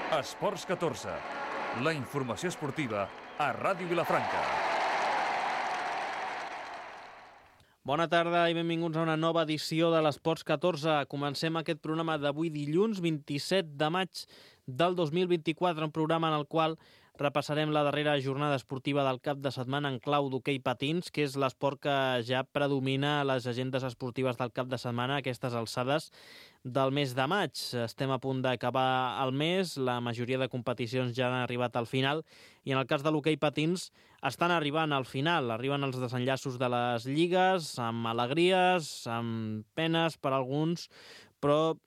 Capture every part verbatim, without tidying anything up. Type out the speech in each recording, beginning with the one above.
Esports catorze, la informació esportiva a Ràdio Vilafranca. Bona tarda i benvinguts a una nova edició de l'Esports catorze. Comencem aquest programa d'avui dilluns vint-i-set de maig del dos mil vint-i-quatre, un programa en el qual repassarem la darrera jornada esportiva del cap de setmana en clau d'hoquei patins, que és l'esport que ja predomina a les agendes esportives del cap de setmana a aquestes alçades del mes de maig. Estem a punt d'acabar el mes, la majoria de competicions ja han arribat al final i en el cas de l'hoquei patins estan arribant al final, arriben els desenllaços de les lligues, amb alegries, amb penes per alguns, però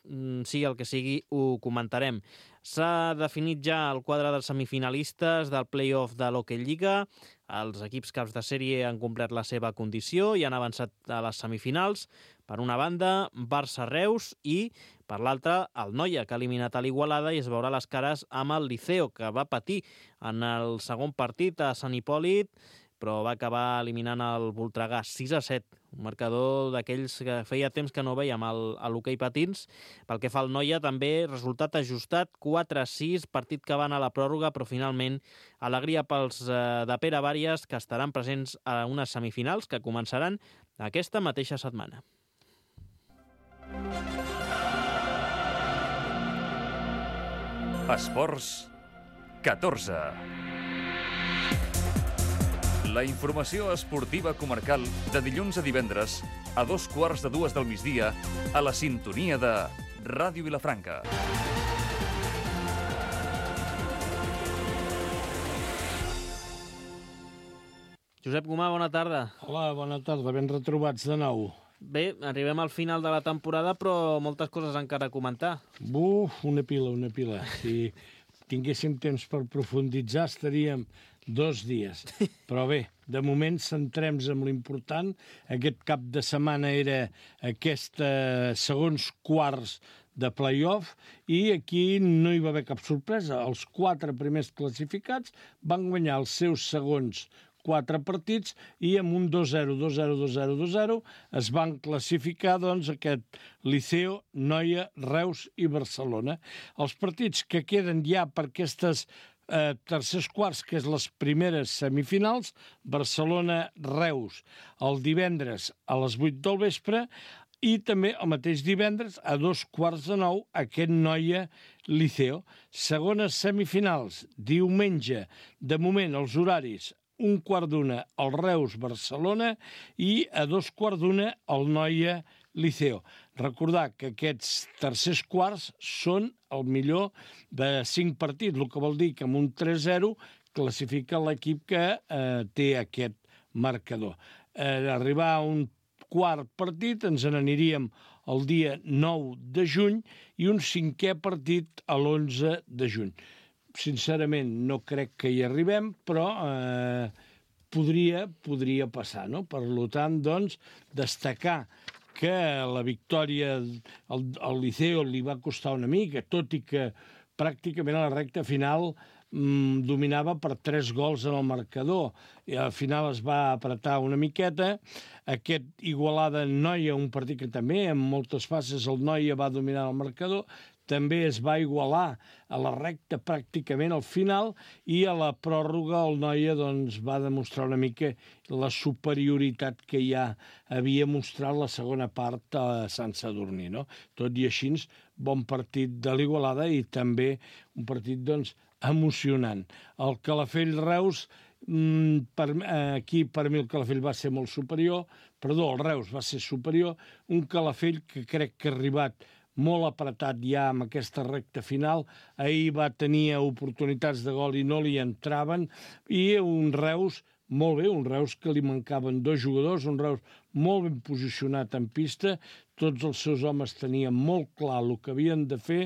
sigui el que sigui, ho comentarem. S'ha definit ja el quadre dels semifinalistes del play-off de l'Hockey Lliga. Els equips caps de sèrie han complert la seva condició i han avançat a les semifinals. Per una banda, Barça-Reus i, per l'altra, el Noia, que ha eliminat a l'Igualada i es veurà les cares amb el Liceo, que va patir en el segon partit a Sant Hipòlit, però va acabar eliminant el Voltregà sis a set, un marcador d'aquells que feia temps que no veiem a l'hoquei patins. Pel que fa al Noia, també resultat ajustat, quatre a sis, partit que va anar a la pròrroga, però finalment alegria pels de Pere Bàries, que estaran presents a unes semifinals que començaran aquesta mateixa setmana. Esports catorze. La informació esportiva comarcal de dilluns a divendres a dos quarts de dues del migdia a la sintonia de Ràdio Vilafranca. Josep Gomà, bona tarda. Hola, bona tarda, ben retrobats de nou. Bé, arribem al final de la temporada, però moltes coses encara a comentar. Buf, una pila, una pila. Si tinguéssim temps per profunditzar, estaríem dos dies. Però bé, de moment centrem-nos en l'important. Aquest cap de setmana era aquesta segons quarts de play-off i aquí no hi va haver cap sorpresa. Els quatre primers classificats van guanyar els seus segons quatre partits i amb un dos zero, dos zero, dos zero, dos zero es van classificar doncs aquest Liceo, Noia, Reus i Barcelona. Els partits que queden ja per aquestes eh, tercers quarts, que és les primeres semifinals, Barcelona-Reus, el divendres a les vuit del vespre i també el mateix divendres a dos quarts de nou aquest Noia-Liceo. Segones semifinals, diumenge, de moment els horaris un quart d'una al Reus-Barcelona i a dos quarts d'una al Noia-Liceo. Recordar que aquests tercers quarts són el millor de cinc partits, el que vol dir que amb un tres zero classifica l'equip que eh, té aquest marcador. Eh, arribar a un quart partit ens n'aniríem el dia nou de juny i un cinquè partit a l'onze de juny. Sincerament, no crec que hi arribem, però eh, podria, podria passar, no? Per tant, doncs, destacar que la victòria al, al Liceo li va costar una mica, tot i que pràcticament a la recta final mm, dominava per tres gols en el marcador. I al final es va apretar una miqueta. Aquest Igualada-Noia, un partit que també en moltes fases el Noia va dominar el marcador, també es va igualar a la recta pràcticament al final i a la pròrroga el Noia doncs, va demostrar una mica la superioritat que ja havia mostrat la segona part a Sant Sadurní. No? Tot i així, bon partit de l'Igualada i també un partit doncs, emocionant. El Calafell-Reus, per, aquí per mi el Calafell va ser molt superior, perdó, el Reus va ser superior, un Calafell que crec que ha arribat molt apretat ja amb aquesta recta final. Ahir va tenir oportunitats de gol i no li entraven. I un Reus molt bé, un Reus que li mancaven dos jugadors, un Reus molt ben posicionat en pista, tots els seus homes tenien molt clar el que havien de fer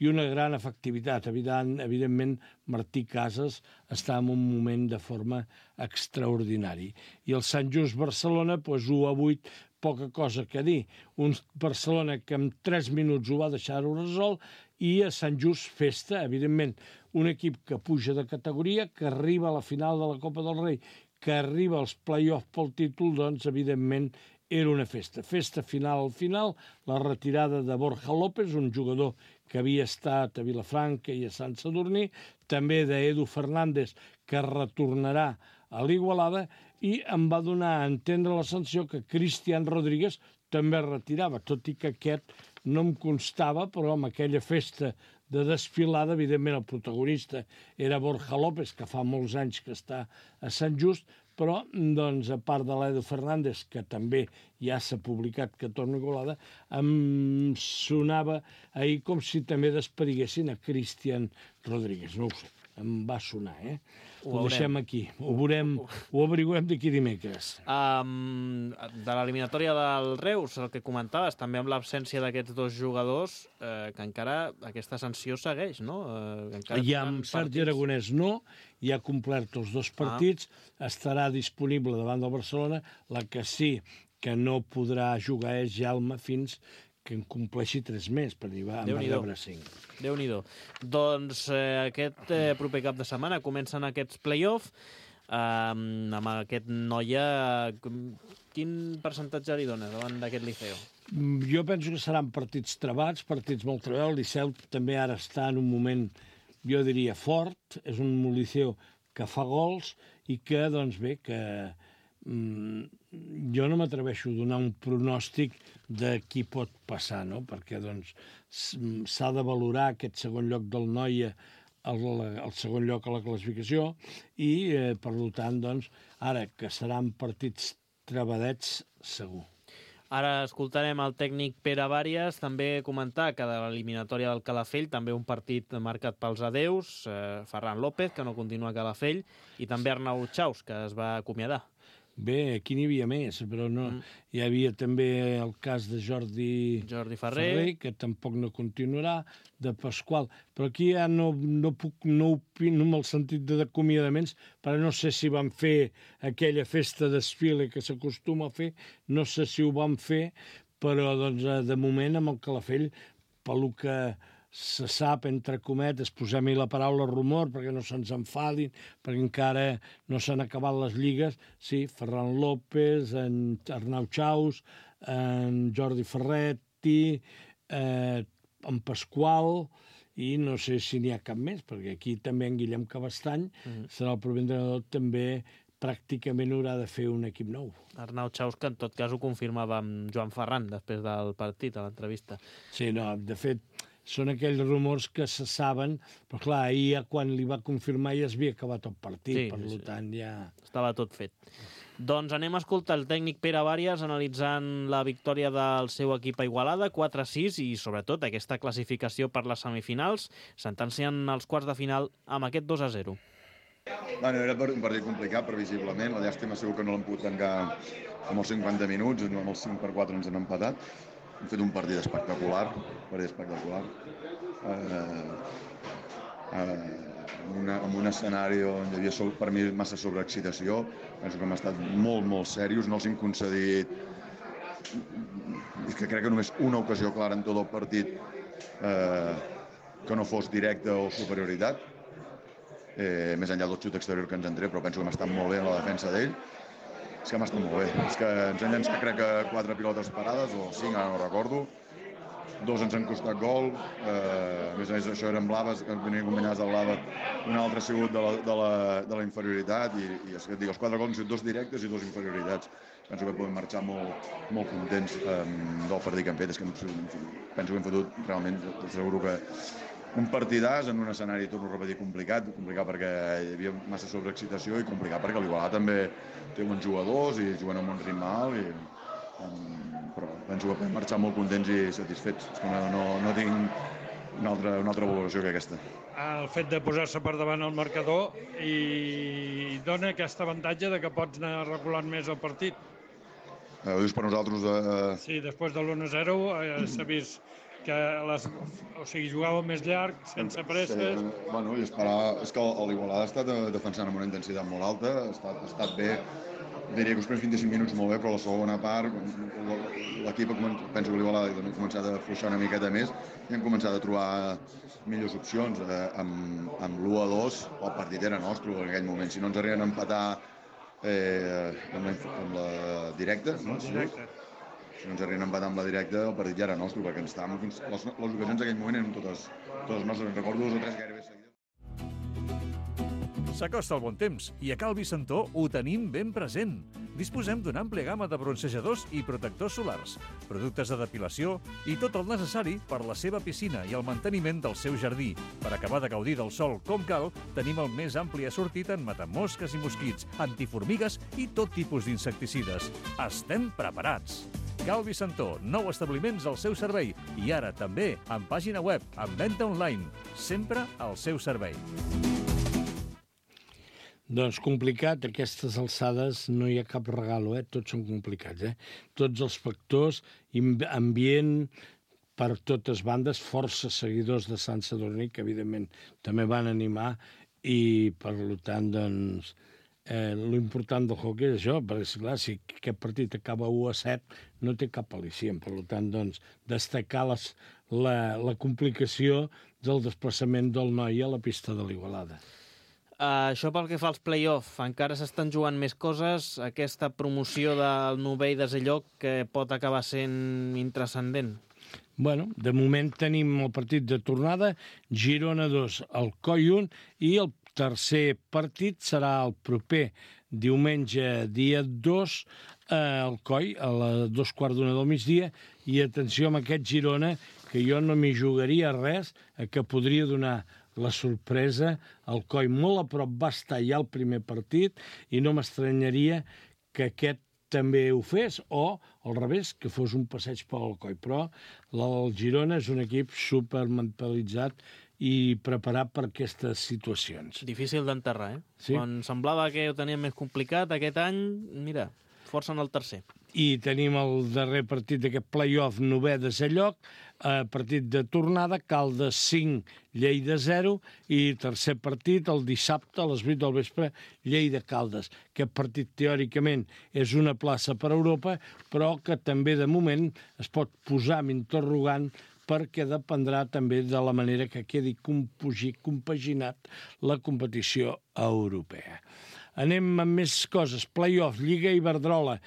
i una gran efectivitat. Evident, evidentment, Martí Casas està en un moment de forma extraordinari. I el Sant Just Barcelona, doncs u a vuit, poca cosa que dir. Un Barcelona que en tres minuts ho va deixar-ho resolt i a Sant Just festa, evidentment, un equip que puja de categoria, que arriba a la final de la Copa del Rei, que arriba als play-offs pel títol, doncs, evidentment, era una festa. Festa final al final, la retirada de Borja López, un jugador que havia estat a Vilafranca i a Sant Sadurní, també d'Edu Fernández, que retornarà a l'Igualada, i em va donar a entendre la sanció que Cristian Rodríguez també es retirava, tot i que aquest no em constava, però amb aquella festa de desfilada, evidentment el protagonista era Borja López, que fa molts anys que està a Sant Just, però, doncs, a part de l'Edu Fernández, que també ja s'ha publicat que torna a Igualada, em sonava ahir com si també despediguessin a Cristian Rodríguez. No ho sé, em va sonar, eh? Ho, ho deixem aquí, ho veurem, ho averiguem d'aquí dimecres. Um, de l'eliminatòria del Reus, el que comentaves, també amb l'absència d'aquests dos jugadors, eh, que encara aquesta sanció segueix, no? Eh, encara I amb Sergi Aragonès no, ja ha complert els dos partits, ah. estarà disponible davant del Barcelona, la que sí que no podrà jugar és Jaume fins que en compleixi tres més, per dir, va, en va rebre cinc. Déu-n'hi-do. Doncs eh, aquest eh, proper cap de setmana comencen aquests play-off, eh, amb aquest Noia. Quin percentatge li dones davant d'aquest Liceo? Jo penso que seran partits trebats, partits molt trebats. El Liceu també ara està en un moment, jo diria, fort. És un Liceu que fa gols i que, doncs bé, que mm, jo no m'atreveixo a donar un pronòstic de qui pot passar, no? Perquè doncs s'ha de valorar aquest segon lloc del Noia, el, el segon lloc a la classificació, i eh, per tant, doncs, ara que seran partits trebadets, segur. Ara escoltarem el tècnic Pere Bàries també comentar que de l'eliminatòria del Calafell també un partit marcat pels adeus, eh, Ferran López, que no continua a Calafell, i també Arnau Chaus, que es va acomiadar. Bé, aquí n'hi havia més, però no. Mm. Hi havia també el cas de Jordi, Jordi Ferrer. Ferrer, que tampoc no continuarà, de Pasqual. Però aquí ja no, no puc no opino en el sentit de d'acomiadaments, però no sé si van fer aquella festa desfile que s'acostuma a fer, no sé si ho van fer, però doncs, de moment amb el Calafell, pel que se sap, entre cometes, posem-hi la paraula rumor perquè no se'ns enfadin, perquè encara no s'han acabat les lligues, sí, Ferran López, en Arnau Chaus, en Jordi Ferretti, eh, en Pasqual, i no sé si n'hi ha cap més, perquè aquí també en Guillem Cabestany mm. serà el proper entrenador, també pràcticament haurà de fer un equip nou. Arnau Chaus, que en tot cas ho confirmava amb Joan Ferran després del partit, a l'entrevista. Sí, no, de fet, són aquells rumors que se saben, però clar, ahir quan li va confirmar ja es havia acabat el partit, sí, per sí. tant ja... Estava tot fet. Doncs anem a escoltar el tècnic Pere Bàries analitzant la victòria del seu equip a Igualada, quatre a sis, i sobretot aquesta classificació per les semifinals, sentenciant els quarts de final amb aquest dos a zero. Bueno, era un partit complicat, previsiblement. La llàstima segur que no l'hem pogut tancar amb els cinquanta minuts, amb els cinc per quatre ens han empatat. Hem fet un partit espectacular, un partit espectacular. Eh, eh, una, en un escenari on hi havia per mi massa sobreexcitació. Penso que hem estat molt, molt serios, no els hem concedit... És que crec que només una ocasió clara en tot el partit eh, que no fos directa o superioritat. Eh, més enllà del xut exterior que ens en tret, però penso que hem estat molt bé en la defensa d'ell. És que hem estat molt bé. És que ens han llançat, crec que quatre pilotes parades, o cinc, ara no recordo. Dos ens han costat gol. Eh, a més a més, això eren blaves, que venien combinades de blava. Un altre ha sigut de la, de la, de la inferioritat. I, i és que et dic, els quatre gols han sigut dos directes i dos inferioritats. Penso que podem marxar molt, molt contents eh, del partit que hem fet. És que penso que hem fotut realment, t'asseguro que un partidàs en un escenari, torno a repetir, complicat, complicat perquè hi havia massa sobreexcitació i complicat perquè l'Igualada també té bons jugadors i juguen amb un ritme alt, i, um, però penso que podem marxar molt contents i satisfets. És que no, no, no tinc una altra, una altra valoració que aquesta. El fet de posar-se per davant el marcador i dona aquest avantatge de que pots anar regulant més el partit. Eh, ho dius per nosaltres? De... Sí, després de l'u a zero eh, s'ha vist que les, o sigui, jugava més llarg, sense presses. Sí, bueno, i esperar, és que l'Igualada ha estat defensant amb una intensitat molt alta, ha estat, ha estat bé, diria que els primers vint-i-cinc minuts molt bé, però la segona part, l'equip, penso que l'Igualada ha començat a afluixar una miqueta més i han començat a trobar millors opcions. Eh, amb amb l'u a dos el partit era nostre en aquell moment. Si no ens arriben a empatar eh, amb, la, amb la directa, no? Directe. si no ens arriben a empatar amb la directa, el partit ja era nostre, perquè ens estàvem fins... Les, les ocasions en aquell moment eren totes, totes nostres. En recordo dos o tres gairebé seguides. S'acosta el bon temps i a Cal Vicentó ho tenim ben present. Disposem d'una àmplia gamma de bronzejadors i protectors solars, productes de depilació i tot el necessari per la seva piscina i el manteniment del seu jardí. Per acabar de gaudir del sol com cal, tenim el més ampli assortit en matamosques i mosquits, antiformigues i tot tipus d'insecticides. Estem preparats! Cal Vicentó, nou establiments al seu servei i ara també amb pàgina web, amb venda online, sempre al seu servei. Doncs complicat, a aquestes alçades no hi ha cap regalo, eh? Tots són complicats, eh? Tots els factors, ambient per totes bandes, força seguidors de Sant Sadurní, que evidentment també van animar, i per tant, doncs, eh, l'important del hoquei és això, perquè, esclar, si aquest partit acaba u a set, no té cap al·licient. Per tant, doncs, destacar les, la, la complicació del desplaçament del noi a la pista de l'Igualada. Uh, això pel que fa als play-off, encara s'estan jugant més coses, aquesta promoció del novè i desè lloc que pot acabar sent intranscendent. Bueno, de moment tenim el partit de tornada, Girona dos, Alcoi un, i el tercer partit serà el proper diumenge, dia dos, a Alcoi, a les dos quarts d'una del migdia, i atenció amb aquest Girona, que jo no m'hi jugaria res, que podria donar la sorpresa. Alcoi molt a prop va estar ja el primer partit i no m'estranyaria que aquest també ho fes, o al revés, que fos un passeig per l'Alcoi. Però el Girona és un equip supermentalitzat i preparat per aquestes situacions. Difícil d'enterrar, eh? Sí. Quan semblava que ho teníem més complicat, aquest any, mira, força en el tercer. I tenim el darrer partit d'aquest play-off, novè desè lloc, eh, partit de tornada, Caldes cinc, Lleida zero, i tercer partit, el dissabte, a les vuit del vespre, Lleida-Caldes. Aquest partit, teòricament, és una plaça per a Europa, però que també, de moment, es pot posar amb interrogant perquè dependrà també de la manera que quedi compaginat la competició europea. Anem amb més coses. Play-off, Lliga Iberdrola.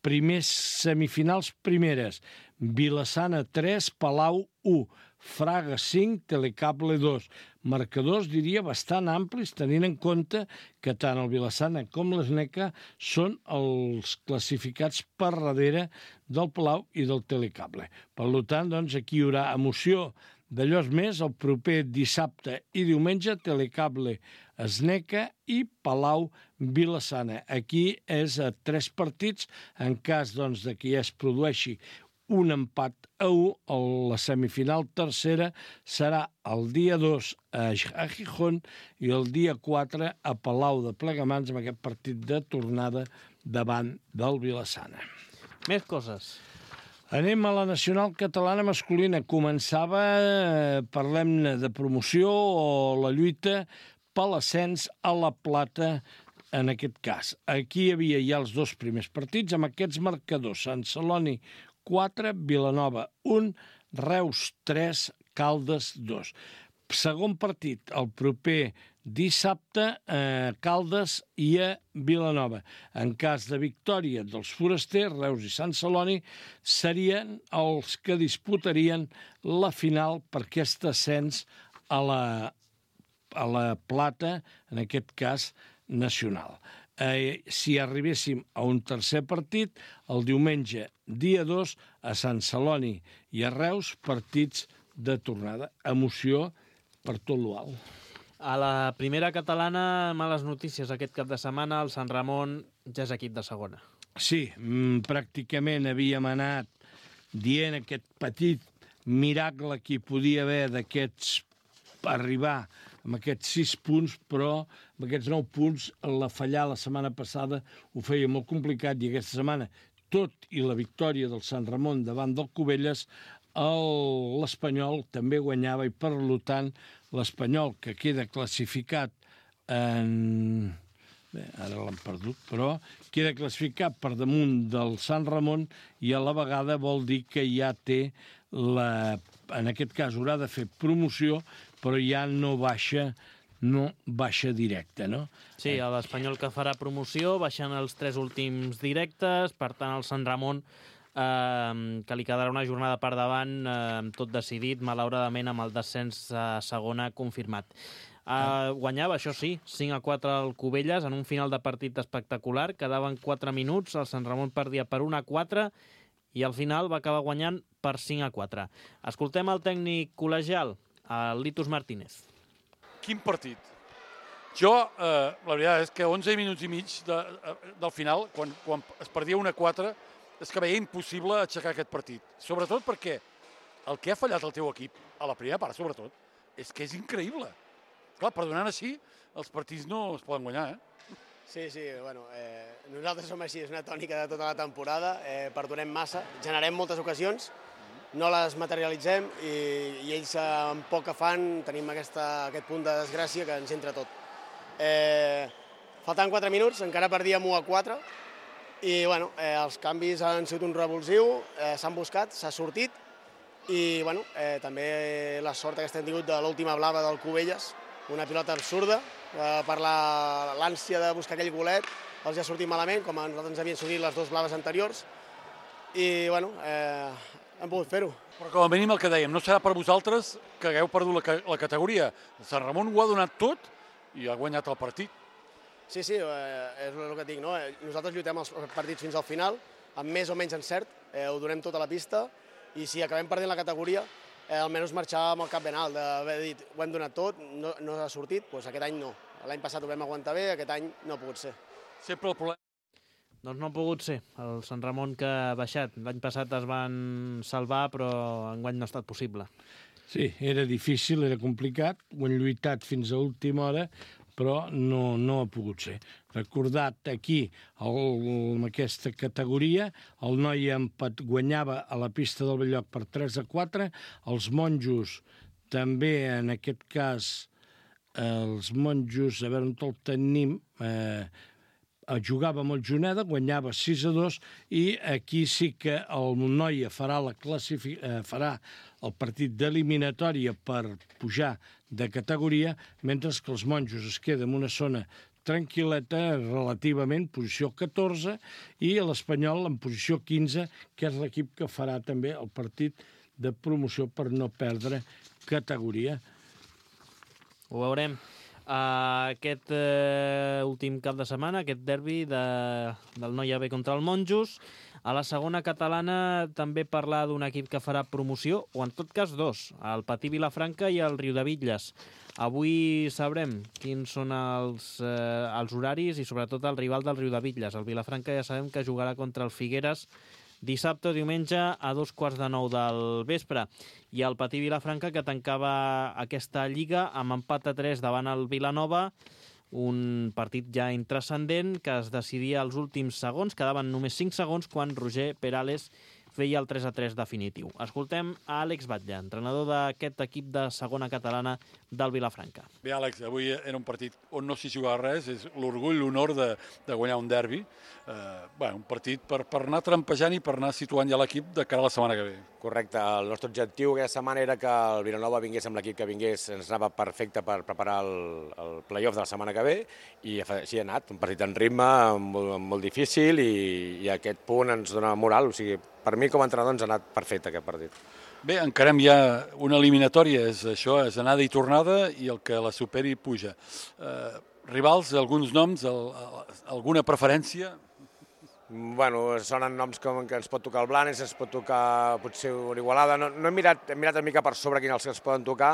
Primers semifinals primeres. Vilassana tres, Palau u, Fraga cinc, Telecable dos. Marcadors, diria, bastant amplis, tenint en compte que tant el Vilassana com l'Sneca són els classificats per darrere del Palau i del Telecable. Per tant, doncs, aquí hi haurà emoció d'allò més el proper dissabte i diumenge, Telecable Sneca i Palau Vilassana. Aquí és a tres partits, en cas doncs, de que ja es produeixi un empat a u, la semifinal tercera serà el dia dos a Gijón i el dia quatre a Palau de Plegamans, amb aquest partit de tornada davant del Vilassana. Més coses. Anem a la nacional catalana masculina. Començava, eh, parlem-ne de promoció o la lluita per l'ascens a la plata, en aquest cas. Aquí hi havia ja els dos primers partits amb aquests marcadors. Sant Celoni quatre, Vilanova un, Reus tres, Caldes dos. Segon partit, el proper dissabte, a Caldes i a Vilanova. En cas de victòria dels forasters, Reus i Sant Celoni serien els que disputarien la final per aquest ascens a la, a la plata, en aquest cas nacional. Eh, si arribéssim a un tercer partit, el diumenge, dia dos, a Sant Celoni i a Reus, partits de tornada. Emoció per tot l'alt. A la primera catalana, males notícies aquest cap de setmana, el Sant Ramon ja és equip de segona. Sí, pràcticament havíem anat dient aquest petit miracle que hi podia haver d'aquests arribar amb aquests sis punts, però amb aquests nou punts la fallar la setmana passada ho feia molt complicat, i aquesta setmana, tot i la victòria del Sant Ramon davant del Cubelles, l'Espanyol també guanyava, i per tant l'Espanyol, que queda classificat en... Bé, ara l'han perdut, però queda classificat per damunt del Sant Ramon, i a la vegada vol dir que ja té la... en aquest cas haurà de fer promoció, però ja no baixa, no baixa directe, no? Sí, l'Espanyol que farà promoció, baixant els tres últims directes, per tant el Sant Ramon eh, que li quedarà una jornada per davant, eh, tot decidit, malauradament, amb el descens a segona confirmat. Eh, guanyava, això sí, cinc a quatre al Cubelles, en un final de partit espectacular. Quedaven quatre minuts, el Sant Ramon perdia per un a quatre i al final va acabar guanyant per cinc a quatre. Escoltem el tècnic col·legial, el Litus Martínez. Quin partit! Jo, eh, la veritat és que onze minuts i mig de, del final, quan, quan es perdia un a quatre, és que veia impossible aixecar aquest partit. Sobretot perquè el que ha fallat el teu equip, a la primera part sobretot, és que és increïble. Clar, perdonant així, els partits no es poden guanyar, eh? Sí, sí, bueno, eh, nosaltres som així, és una tònica de tota la temporada, eh, perdonem massa, generem moltes ocasions, no les materialitzem i, i ells amb poc que fan tenim aquesta, aquest punt de desgràcia que ens entra tot. Eh, faltant quatre minuts, encara perdíem u a quatre i bueno, eh, els canvis han sigut un revulsiu, eh, s'han buscat, s'ha sortit i bueno, eh, també la sort aquesta hem tingut de l'última blava del Cubelles, una pilota absurda, eh, per l'ànsia de buscar aquell golet, els ha sortit malament, com a nosaltres ens havien sortit les dues blaves anteriors, i bueno, eh, hem pogut fer-ho. Però com a mínim el que dèiem, no serà per vosaltres que hagueu perdut la, la categoria. El Sant Ramon ho ha donat tot i ha guanyat el partit. Sí, sí, eh, és el que dic, no? Nosaltres lluitem els partits fins al final, amb més o menys encert, eh, ho donem tot a la pista, i si acabem perdent la categoria, eh, almenys marxar amb el cap ben alt, d'haver dit, ho hem donat tot, no, no ha sortit, doncs aquest any no. L'any passat ho vam aguantar bé, aquest any no ha pogut ser. Sempre el problema... Doncs no ha pogut ser. El Sant Ramon que ha baixat. L'any passat es van salvar, però enguany no ha estat possible. Sí, era difícil, era complicat, ho han lluitat fins a última hora, però no, no ha pogut ser. Recordat aquí, el, en aquesta categoria, el noi empat guanyava a la pista del Belloc per tres a quatre, els monjos també, en aquest cas, els monjos, a veure on el tenim, eh, jugava amb el Juneda, guanyava sis a dos, i aquí sí que el Noia farà, la classific... eh, farà el partit d'eliminatòria per pujar de categoria, mentre que els monjos es queden en una zona tranquil·leta, relativament, posició catorze, i l'Espanyol en posició quinze, que és l'equip que farà també el partit de promoció per no perdre categoria. Ho veurem. Uh, aquest uh, últim cap de setmana, aquest derbi de, del Noia B contra el Monjos. A la segona catalana també parlar d'un equip que farà promoció, o en tot cas dos, el Patí Vilafranca i el Riudebitlles. Avui sabrem quins són els, eh, els horaris i sobretot el rival del Riudebitlles. El Vilafranca ja sabem que jugarà contra el Figueres dissabte o diumenge a dos quarts de nou del vespre. I el Patí Vilafranca, que tancava aquesta lliga amb empat a tres davant el Vilanova, un partit ja intranscendent que es decidia als últims segons, quedaven només cinc segons quan Roger Perales feia el tres a tres definitiu. Escoltem a Àlex Batlle, entrenador d'aquest equip de segona catalana del Vilafranca. Bé, Àlex, avui era un partit on no s'hi jugava res, és l'orgull, l'honor de, de guanyar un derbi. Eh, bé, un partit per, per anar trampejant i per anar situant ja l'equip de cara a la setmana que ve. Correcte. El nostre objectiu aquesta setmana era que el Vilanova vingués amb l'equip que vingués, ens anava perfecte per preparar el, el play-off de la setmana que ve, i així ha anat. Un partit en ritme, molt, molt difícil, i, i aquest punt ens dona moral. O sigui, per mi com a entrenador ens ha anat perfecte aquest partit. Bé, encarem ja una eliminatòria, és això, és anada i tornada, i el que la superi puja. Eh, rivals, alguns noms, el, el, alguna preferència? Bueno, sonen noms com que ens pot tocar el Blanes, ens pot tocar potser una Igualada. No, no hem mirat, hem mirat una mica per sobre quins els que ens poden tocar,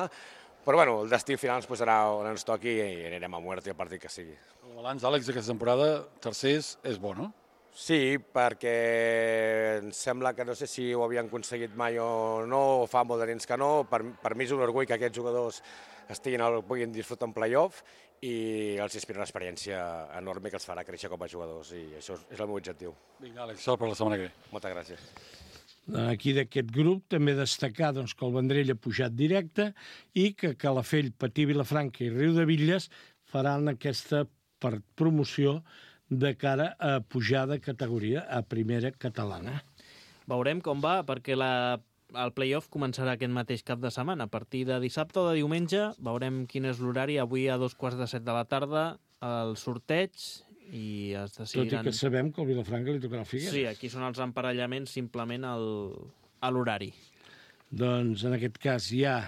però bueno, el destí final ens posarà on ens toqui i anirem a muerte el partit que sigui. El balanç, Àlex, d'aquesta temporada, tercers, és bo, no? Sí, perquè em sembla que no sé si ho havien aconseguit mai o no, o fa molt de temps que no. Per, per mi és un orgull que aquests jugadors estiguin, puguin disfrutar un play-off, i els inspira una experiència enorme que els farà créixer com a jugadors, i això és el meu objectiu. Vinga, Àlex, sort per la setmana que ve. Moltes gràcies. Aquí d'aquest grup també destacar doncs, que el Vendrell ha pujat directe i que Calafell, Patí, Vilafranca i Riudebitlles faran aquesta per promoció de cara a pujar de categoria a primera catalana. Veurem com va, perquè la, el play-off començarà aquest mateix cap de setmana. A partir de dissabte o de diumenge veurem quin és l'horari. Avui a dos quarts de set de la tarda el sorteig i es decidiran... Tot i que sabem que al Vilafranca li tocarà el Figueres. Sí, aquí són els emparellaments simplement el... a l'horari. Doncs en aquest cas ja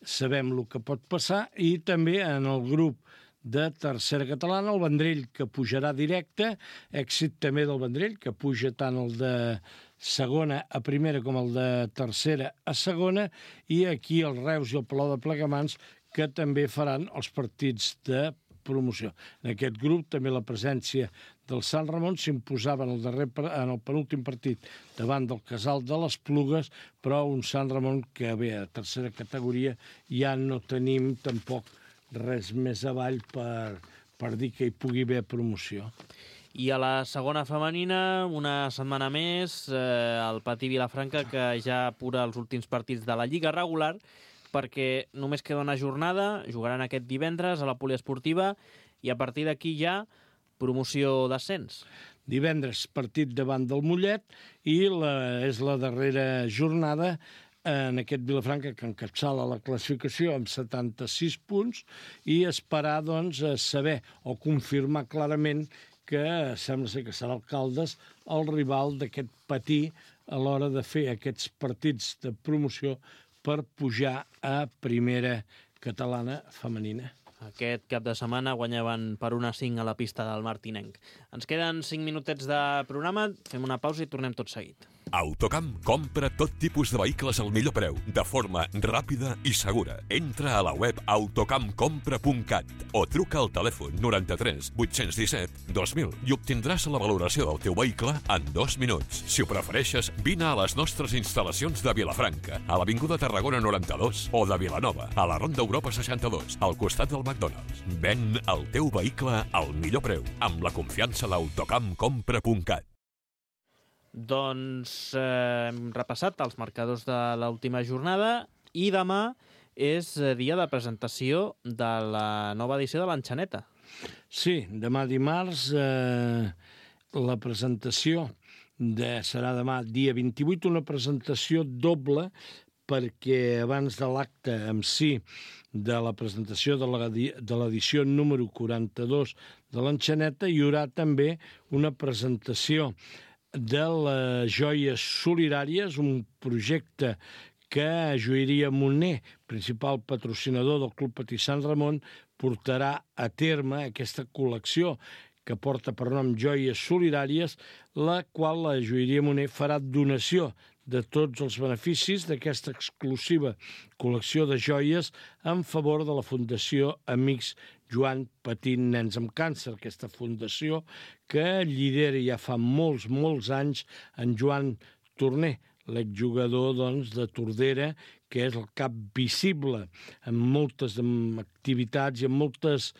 sabem el que pot passar i també en el grup de tercera catalana, el Vendrell, que pujarà directe, èxit també del Vendrell, que puja tant el de segona a primera com el de tercera a segona, i aquí el Reus i el Palau de Plegamans, que també faran els partits de promoció. En aquest grup també la presència del Sant Ramon s'imposava en el darrer en el penúltim partit davant del Casal de les Plugues, però un Sant Ramon que bé, a tercera categoria ja no tenim tampoc res més avall per, per dir que hi pugui haver promoció. I a la segona femenina, una setmana més, eh, el Patí Vilafranca, que ja apura els últims partits de la Lliga regular, perquè només queda una jornada, jugaran aquest divendres a la poliesportiva, i a partir d'aquí ja promoció d'ascens. Divendres partit davant del Mollet, i la, és la darrera jornada en aquest Vilafranca que encapçala la classificació amb setanta-sis punts, i esperar doncs, a saber o confirmar clarament que sembla ser que serà el Caldes el rival d'aquest Patí a l'hora de fer aquests partits de promoció per pujar a primera catalana femenina. Aquest cap de setmana guanyaven per un a cinc a la pista del Martinenc. Ens queden cinc minutets de programa, fem una pausa i tornem tot seguit. Autocamp compra tot tipus de vehicles al millor preu, de forma ràpida i segura. Entra a la web autocamp compra punt cat o truca al telèfon noranta-tres vuit-cents disset dos mil i obtindràs la valoració del teu vehicle en dos minuts. Si ho prefereixes, vine a les nostres instal·lacions de Vilafranca, a l'Avinguda Tarragona noranta-dos, o de Vilanova, a la Ronda Europa seixanta-dos, al costat del McDonald's. Ven el teu vehicle al millor preu, amb la confiança d'autocamp compra punt cat. Doncs eh, hem repassat els marcadors de l'última jornada i demà és dia de presentació de la nova edició de l'Enxaneta. Sí, demà dimarts eh, la presentació de, serà demà dia vint-i-vuit, una presentació doble, perquè abans de l'acte en si de la presentació de l'edició número quaranta-dos de l'Enxaneta hi haurà també una presentació de les joies solidàries, un projecte que Joieria Moner, principal patrocinador del Club Patí Sant Ramon, portarà a terme aquesta col·lecció que porta per nom Joies Solidàries, la qual la Joieria Moner farà donació de tots els beneficis d'aquesta exclusiva col·lecció de joies en favor de la Fundació Amics Joan Patint Nens amb Càncer, aquesta fundació que lidera ja fa molts, molts anys en Joan Torner, l'exjugador doncs, de Tordera, que és el cap visible en moltes activitats i en moltes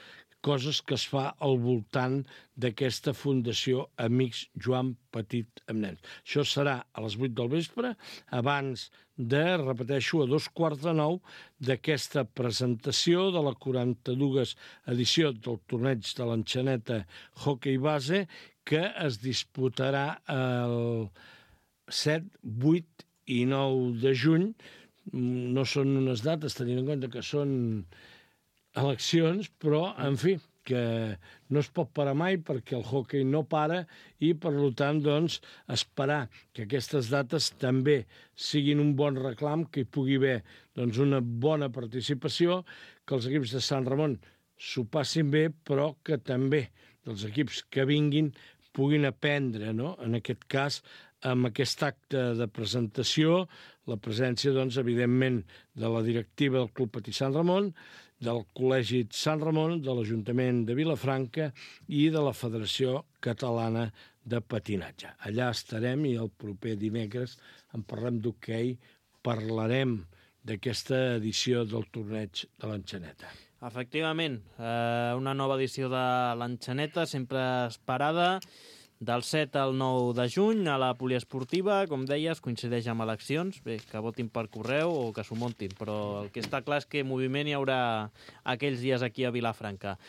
coses que es fa al voltant d'aquesta Fundació Amics Joan Petit amb Nens. Això serà a les vuit del vespre, abans de, repeteixo, a dos quarts de nou d'aquesta presentació de la quaranta-dues edició del torneig de l'Enxaneta Hockey Base, que es disputarà el set, vuit i nou de juny. No són unes dates, tenint en compte que són eleccions, però, en fi, que no es pot parar mai perquè el hockey no para i, per tant, doncs, esperar que aquestes dates també siguin un bon reclam, que hi pugui haver doncs, una bona participació, que els equips de Sant Ramon s'ho passin bé, però que també els equips que vinguin puguin aprendre, no? En aquest cas, amb aquest acte de presentació, la presència, doncs, evidentment, de la directiva del Club Patí Sant Ramon, del Col·legi Sant Ramon, de l'Ajuntament de Vilafranca i de la Federació Catalana de Patinatge. Allà estarem i el proper dimecres en parlem d'hoquei, parlarem d'aquesta edició del torneig de l'Enxaneta. Efectivament, eh, una nova edició de l'Enxaneta, sempre esperada, del set al nou de juny a la poliesportiva, com deies, coincideix amb eleccions, bé, que votin per correu o que s'ho muntin, però el que està clar és que moviment hi haurà aquells dies aquí a Vilafranca.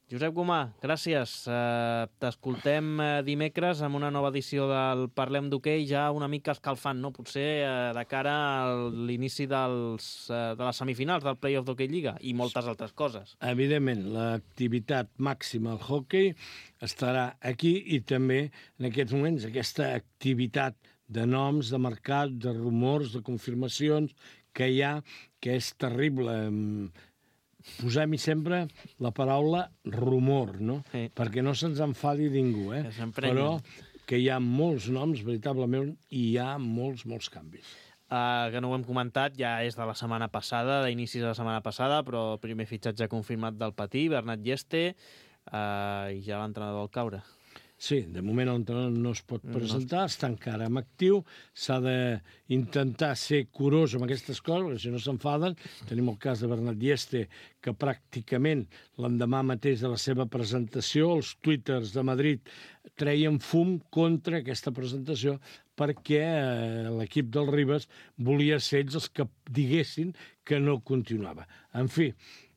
Josep Gomà, gràcies. Uh, T'escoltem uh, dimecres amb una nova edició del Parlem d'Hoquei, ja una mica escalfant, no? Potser uh, de cara a l'inici dels, uh, de les semifinals del Play-off d'Hoquei Lliga i moltes altres coses. Evidentment, l'activitat màxima al hoquei estarà aquí i també en aquests moments aquesta activitat de noms, de mercat, de rumors, de confirmacions que hi ha, que és terrible. Posem-hi sempre la paraula rumor, no? Sí. Perquè no se'ns enfadi ningú, eh? Però que hi ha molts noms, veritablement, i hi ha molts, molts canvis. Uh, que no ho hem comentat, ja és de la setmana passada, d'inicis de la setmana passada, però primer fitxatge confirmat del Patí, Bernat Lleste, uh, i ja l'entrenador al caure. Sí, de moment l'entrenador no es pot presentar, no. Està encara en actiu, s'ha d'intentar ser curós amb aquestes coses, perquè si no s'enfaden. Tenim el cas de Bernat Lleste, que pràcticament l'endemà mateix de la seva presentació, els twitters de Madrid treien fum contra aquesta presentació perquè eh, l'equip del Ribes volia ser ells els que diguessin que no continuava. En fi,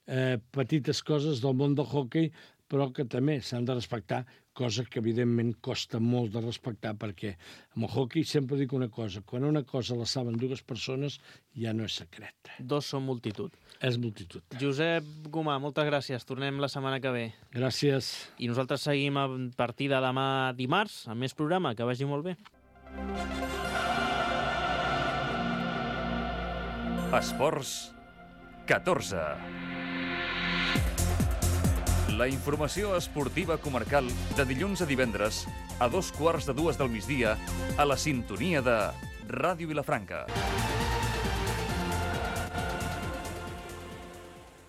eh, petites coses del món del hoquei, però que també s'han de respectar, cosa que evidentment costa molt de respectar, perquè amb el hoquei sempre dic una cosa, quan una cosa la saben dues persones ja no és secret. Dos són multitud. És multitud. Josep Gomà, moltes gràcies. Tornem la setmana que ve. Gràcies. I nosaltres seguim a partir de demà dimarts, amb més programa. Que vagi molt bé. Esports catorze. La informació esportiva comarcal de dilluns a divendres a dos quarts de dues del migdia a la sintonia de Ràdio Vilafranca.